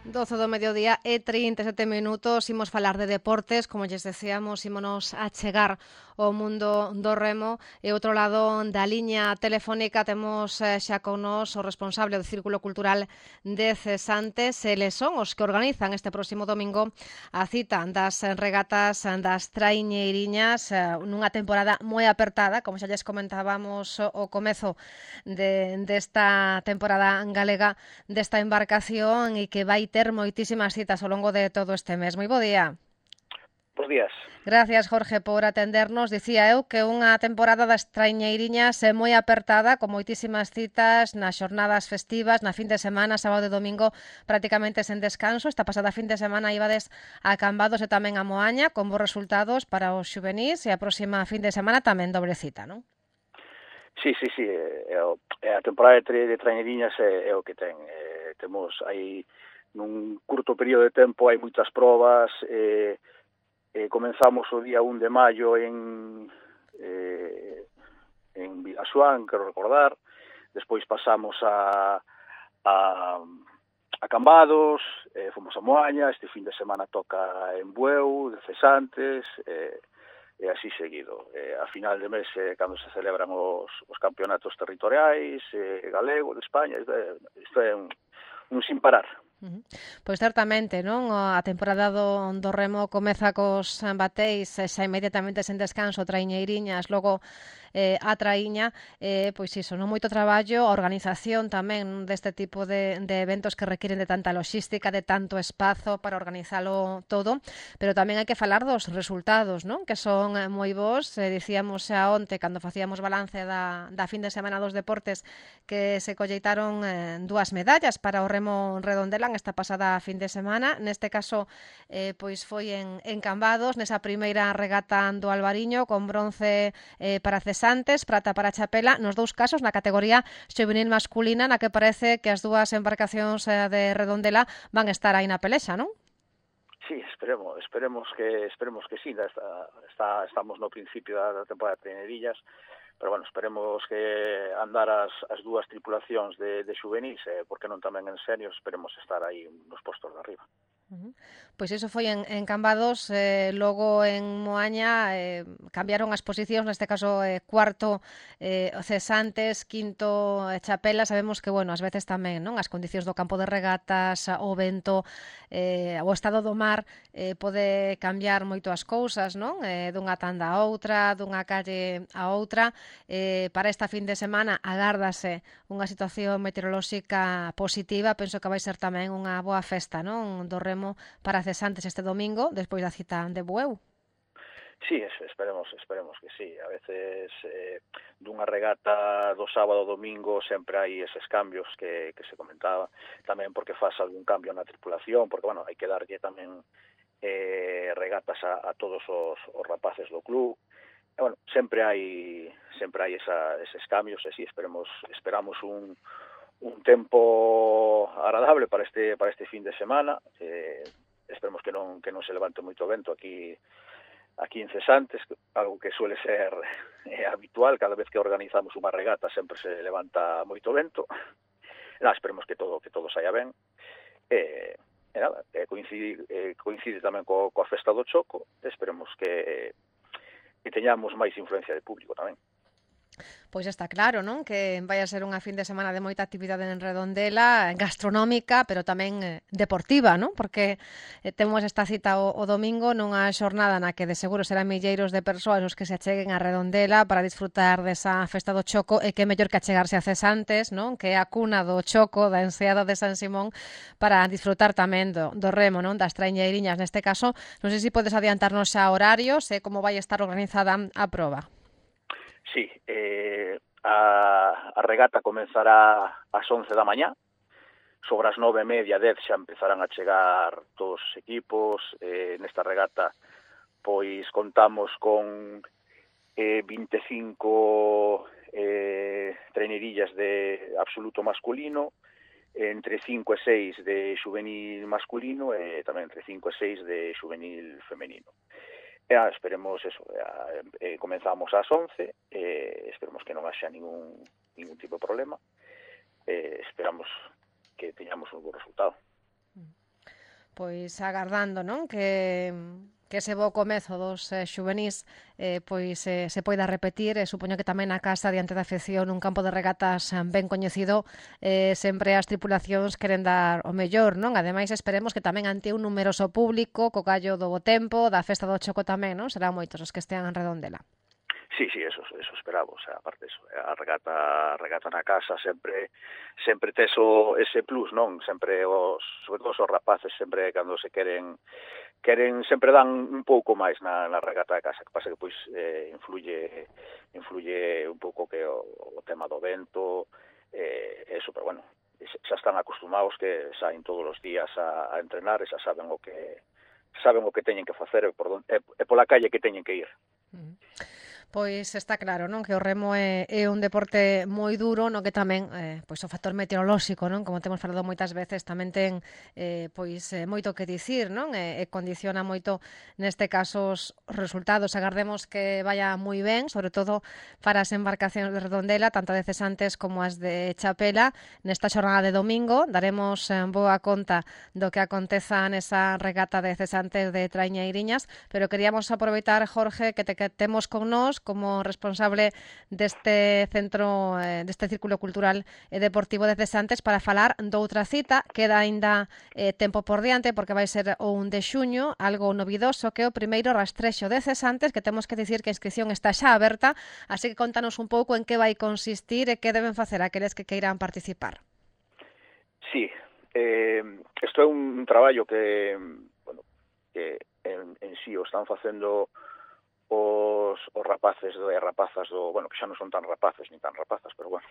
12 do mediodía e 37 minutos, imos falar de deportes, como lles decíamos, ímonos a chegar ao mundo do remo e outro lado da liña telefónica temos xa con nos o responsable do Círculo Cultural de Cesantes, eles son os que organizan este próximo domingo a cita das regatas das traiñeiriñas nunha temporada moi apertada, como xa lles comentábamos o comezo desta temporada galega desta embarcación e que vai ter moitísimas citas ao longo de todo este mes. Moi bo día. Bos días. Gracias, Jorge, por atendernos. Dicía eu que unha temporada das traiñeiriñas é moi apertada, con moitísimas citas nas xornadas festivas, na fin de semana, sábado e domingo, prácticamente sen descanso. Esta pasada fin de semana ibades a Cambados e tamén a Moaña, con bons resultados para os xuvenís, e a próxima fin de semana tamén dobre cita, non? Sí. A temporada de traiñeiriñas é o que ten. Temos aí nun curto período de tempo hai moitas probas, comenzamos o día 1 de maio en Vilaxoán, quero recordar, despois pasamos a Cambados, fomos a Moaña, este fin de semana toca en Bueu, de Cesantes, e así seguido. A final de mes, cando se celebran os campeonatos territoriais, galego, de España, isto é un sin parar. Pois certamente, non? A temporada do remo comeza cos bateis, xa inmediatamente sen descanso, traiñeiriñas, logo a traíña, pois iso, non moito traballo, a organización tamén deste tipo de eventos que requiren de tanta logística, de tanto espazo para organizalo todo, pero tamén hai que falar dos resultados, non? Que son moi bons, dicíamos xa onte, cando facíamos balance da fin de semana dos deportes, que se colleitaron 2 medallas para o remo Redondela esta pasada fin de semana, neste caso pois foi en Cambados, nesa primeira regata do Albariño, con bronce para Cesantes, prata para Chapela, nos dous casos na categoría xuvenil masculina, na que parece que as dúas embarcacións de Redondela van estar aí na pelexa, non? Sí, esperemos que sí, estamos no principio da temporada de traiñeirillas, pero bueno, esperemos que andar as dúas tripulacións de xuvenís, porque non tamén en senior, esperemos estar aí nos postos de arriba. Pois iso foi en Cambados, logo en Moaña cambiaron as posicións, neste caso cuarto Cesantes, quinto Chapela. Sabemos que, bueno, ás veces tamén, non, as condicións do campo de regatas, o vento, o estado do mar pode cambiar moito as cousas, non? Dunha tanda a outra, dunha calle a outra. Para esta fin de semana agárdase unha situación meteorolóxica positiva, penso que vai ser tamén unha boa festa, non, do remo para Cesantes este domingo, despois da cita de Bueu. Sí, esperemos que sí. A veces dunha regata do sábado ao domingo sempre hai eses cambios que se comentaba, tamén porque faz algún cambio na tripulación, porque, bueno, hai que darlle tamén regatas a todos os rapaces do club. E, bueno, sempre hai eses cambios, e sí, esperamos un tempo agradable para este fin de semana. Esperemos que non se levante moito vento aquí en Cesantes, algo que suele ser habitual. Cada vez que organizamos unha regata sempre se levanta moito vento. Esperemos que todo saia ben. Coincide tamén coa festa do Choco. Esperemos que teñamos máis influencia de público tamén. Pois está claro, non? Que vai a ser unha fin de semana de moita actividade en Redondela, gastronómica, pero tamén deportiva, non? Porque temos esta cita o domingo nunha xornada na que de seguro serán milleiros de persoas os que se acheguen a Redondela para disfrutar desa festa do Choco, e que mellor que achegarse a Cesantes, non? Que é a cuna do Choco, da enseada de San Simón, para disfrutar tamén do remo, non? Das traiñeiriñas neste caso. Non sei se podes adiantarnos xa horarios e como vai estar organizada a proba. Sí, a regata comenzará ás 11 da mañá, sobre as 9:30, 10 xa empezarán a chegar todos os equipos. Nesta regata pois contamos con 25 traiñeirillas de absoluto masculino, entre 5 e 6 de xuvenil masculino e tamén entre 5 e 6 de xuvenil femenino. Esperemos eso, comenzamos ás 11, esperemos que non haxa ningún tipo de problema, esperamos que teñamos un bo resultado. Pois agardando, non? Que ese bo comezo dos xuvenís se poida repetir, supoño que tamén na casa diante da afección un campo de regatas ben coñecido, sempre as tripulacións queren dar o mellor, non? Ademais esperemos que tamén ante un numeroso público, co callo do bo tempo, da festa do Choco tamén, non? Serán moitos os que estean en Redondela. Sí, eso esperamos, aparte eso, a regata na casa sempre tes ese plus, non? Sempre sobre todo os rapaces sempre cando se queren sempre dan un pouco máis na regata da casa, que pasa que pois influye un pouco que o tema do vento, eso, pero bueno, xa están acostumados que saen todos os días a entrenar e xa saben o que teñen que facer e pola calle que teñen que ir. Pois está claro, non, que o remo é un deporte moi duro, no que tamén pois o factor meteorolóxico, non, como temos falado moitas veces, tamén ten moito que dicir, non, e condiciona moito neste caso os resultados. Agardemos que vaya moi ben, sobre todo para as embarcacións de Redondela, tanto de cesantes como as de Chapela. Nesta xornada de domingo daremos boa conta do que aconteza nesa regata de cesantes de Traiñeiriñas, pero queríamos aproveitar, Jorge, que temos con nós como responsable deste centro, deste Círculo Cultural e Deportivo de Cesantes, para falar doutra cita. Queda aínda tempo por diante, porque vai ser o 1 de xuño, algo novidoso, que é o primeiro rastrexo de cesantes, que temos que dicir que a inscripción está xa aberta, así que contanos un pouco en que vai consistir e que deben facer aqueles que queiran participar. Sí, isto é un traballo que en sí o están facendo os rapaces e rapazas que xa non son tan rapaces nin tan rapazas, pero bueno,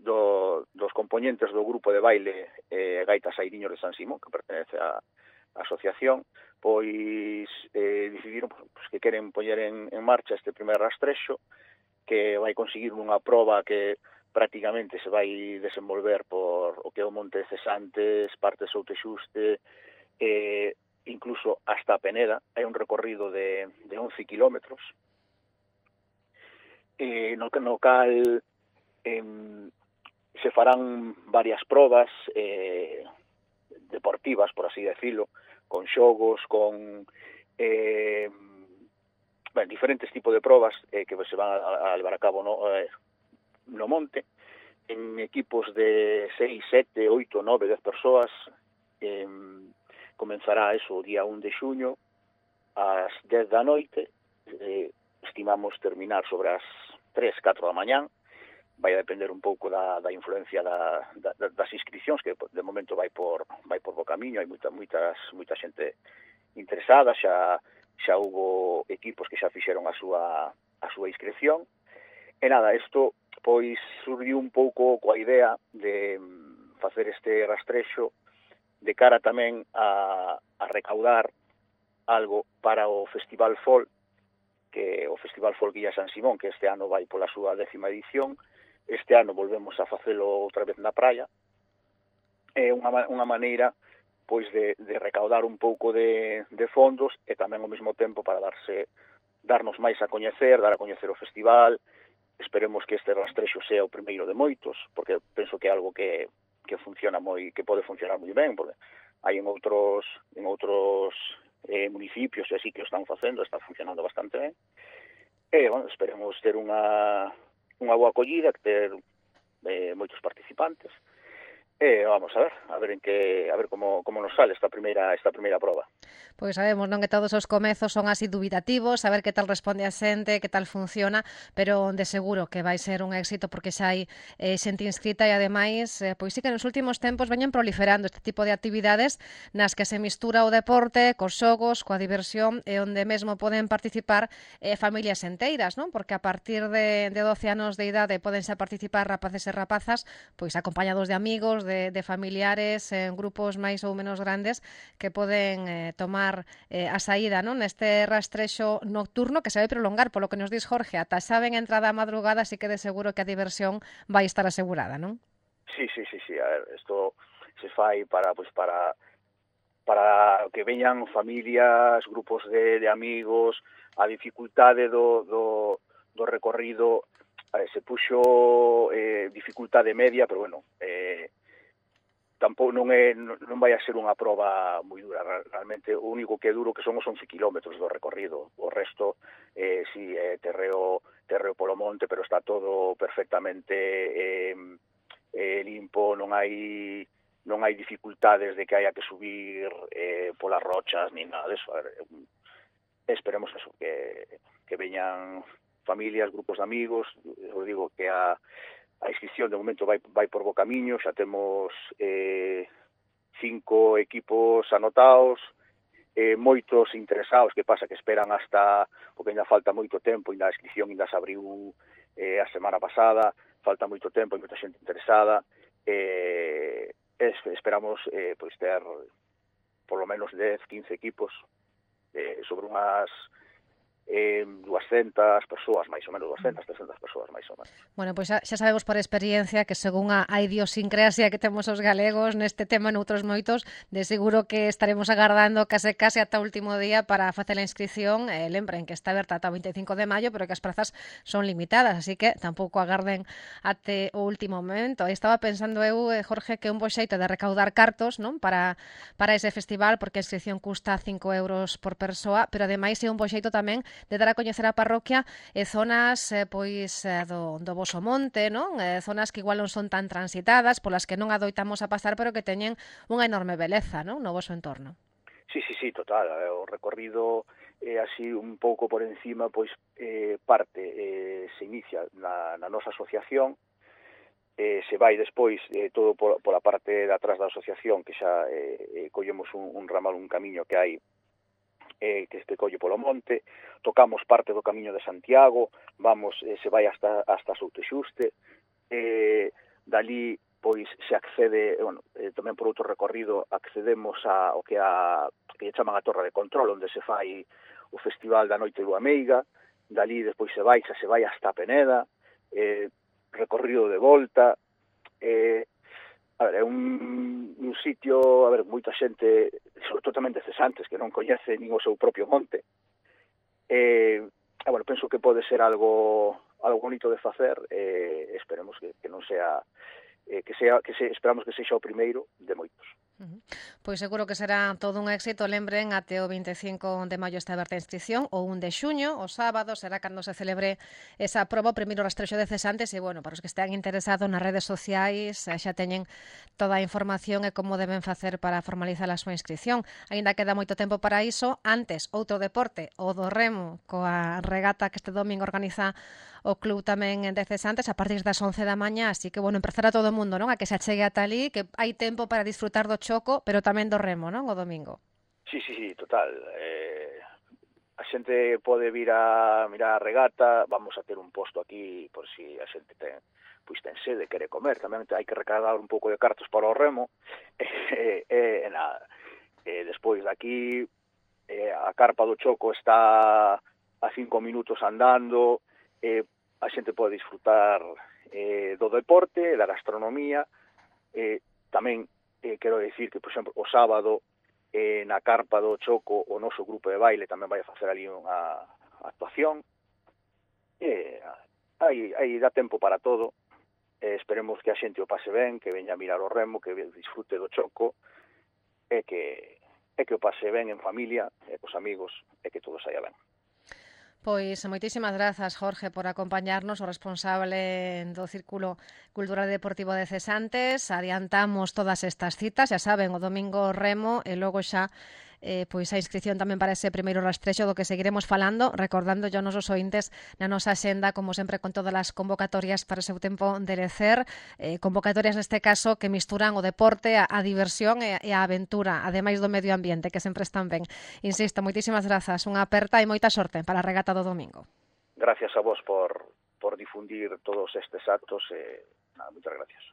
dos componentes do grupo de baile Gaitas Airiños de San Simón, que pertenece á asociación, pois decidiron que queren poñer en marcha este primer rastrexo, que vai conseguir unha proba que prácticamente se vai desenvolver por o que é o Monte de Cesantes, parte de Soutexuste, incluso hasta a Peneda. Hai un recorrido de 11 kilómetros, no cal se farán varias probas deportivas, por así decirlo, con xogos, con diferentes tipos de probas que se van a levar a cabo no monte, en equipos de 6, 7, 8, 9, 10 persoas. Comenzará eso o día 1 de xuño ás 10 da noite, estimamos terminar sobre as 3, 4 da mañán. Vai a depender un pouco da influencia das inscripcións, que de momento vai por bo camiño. Hai moita xente interesada, xa hubo equipos que xa fixeron a súa inscripción. E nada, isto pois surgiu un pouco coa idea de facer este rastrexo de cara tamén a recaudar algo para o Festival Folk, que o Festival Folk Guía San Simón, que este ano vai pola súa 10ª edición. Este ano volvemos a facelo outra vez na praia. É unha maneira pois de recaudar un pouco de fondos e tamén ao mesmo tempo para darnos máis a coñecer, dar a coñecer o festival. Esperemos que este rastrexo sea o primeiro de moitos, porque penso que é algo que funciona que pode funcionar moi ben, porque hai en outros municipios e así que o están facendo, está funcionando bastante ben. E, bueno, esperemos ter unha boa acollida, ter moitos participantes. E vamos a ver como nos sale esta primeira proba. Pois sabemos, non, que todos os comezos son así dubitativos, a ver que tal responde a xente, que tal funciona, pero de seguro que vai ser un éxito, porque xa hai xente inscrita e ademais, pois sí que nos últimos tempos veñen proliferando este tipo de actividades nas que se mistura o deporte cos xogos, coa diversión, e onde mesmo poden participar familias enteiras, non? Porque a partir de 12 anos de idade poden xa participar rapaces e rapazas, pois acompañados de amigos, de familiares, en grupos máis ou menos grandes, que poden tomar a saída, non, neste rastrexo nocturno que se vai prolongar, polo que nos dis Jorge, ata xa ven entrada a madrugada, así que de seguro que a diversión vai estar asegurada, non? Sí. A ver, isto se fai para que veñan familias, grupos de amigos. A dificultade do recorrido se puxo dificultade media, pero bueno, tampouco non vai a ser unha proba moi dura. Realmente o único que é duro que son os 11 kilómetros do recorrido. O resto si é terreo polo monte, pero está todo perfectamente limpo, non hai dificultades de que haya que subir polas rochas ni nada de eso. Esperemos eso, que veñan familias, grupos de amigos. Eu digo que a inscripción de momento vai por bo camiño, xa temos 5 equipos anotados, moitos interesados, que pasa que esperan hasta, porque ainda falta moito tempo, ainda a inscripción ainda se abriu a semana pasada, falta moito tempo, hai moita xente interesada, esperamos pois ter por lo menos 10, 15 equipos sobre unhas 200 persoas, máis ou menos, 200, 300 persoas, máis ou menos. Bueno, pois xa sabemos por experiencia que según a idiosincrasia que temos os galegos neste tema, noutros moitos, de seguro que estaremos agardando case ata o último día para facer a inscripción. Lembren que está aberta ata o 25 de maio, pero que as prazas son limitadas, así que tampouco agarden até o último momento. Aí estaba pensando eu, Jorge, que un bo xeito de recaudar cartos, non, para ese festival, porque a inscripción custa 5 euros por persoa, pero ademais é un bo xeito tamén de dar a coñecer a parroquia zonas do voso monte, non? Zonas que igual non son tan transitadas, polas que non adoitamos a pasar, pero que teñen unha enorme beleza, non, no voso entorno. Sí, total. O recorrido así un pouco por encima, pois parte, se inicia na nosa asociación, se vai despois todo pola parte de atrás da asociación, que xa collemos un ramal, un camiño que hai que colle polo monte, tocamos parte do Camiño de Santiago, se vai hasta Soutexuste, dali pois se accede, tamén por outro recorrido accedemos ao que chaman a Torre de Control, onde se fai o Festival da Noite do Ameiga, dali despois se vai hasta Peneda, recorrido de volta, é un sitio, moita xente, sobre todo tamén de cesantes, que non coñece nin o seu propio monte. Penso que pode ser algo bonito de facer, esperemos que non sea, esperamos que sexa o primeiro de moitos. Pois seguro que será todo un éxito. Lembren, até o 25 de maio está aberta a inscripción, o 1 de xuño, o sábado, será cando se celebre esa proba, o primeiro rastrexo de cesantes, e, para os que estean interesados nas redes sociais, xa teñen toda a información e como deben facer para formalizar a súa inscripción. Aínda queda moito tempo para iso. Antes, outro deporte, o do remo, coa regata que este domingo organiza o club tamén de cesantes a partir das 11 da mañá, así que, empezar a todo o mundo, non? A que se achegue ata ali, que hai tempo para disfrutar do choco, pero tamén do remo, non? O domingo. Sí, total. A xente pode vir a mirar a regata, vamos a ter un posto aquí por si a xente ten sede, quere comer, tamén hai que recargar un pouco de cartos para o remo, despois daqui a carpa do choco está a 5 minutos andando, a xente pode disfrutar do deporte, da gastronomía, tamén quero dicir que, por exemplo, o sábado na carpa do Choco o noso grupo de baile tamén vai a facer ali unha actuación. Aí dá tempo para todo. Esperemos que a xente o pase ben, que veña a mirar o remo, que disfrute do Choco e que o pase ben en familia, cos amigos, e que todo saia ben. Pois moitísimas grazas, Jorge, por acompañarnos, o responsable do Círculo Cultural e Deportivo de Cesantes. Adiantamos todas estas citas, xa saben, o domingo remo e logo xa pois a inscripción tamén para ese primeiro rastrexo do que seguiremos falando, recordando aos nosos ointes na nosa xenda, como sempre, con todas as convocatorias para o seu tempo de lecer, convocatorias neste caso que misturan o deporte, a diversión e a aventura, ademais do medio ambiente, que sempre están ben. Insisto, moitísimas grazas, unha aperta e moita sorte para a regata do domingo. Gracias a vos por difundir todos estes actos, moitas gracias.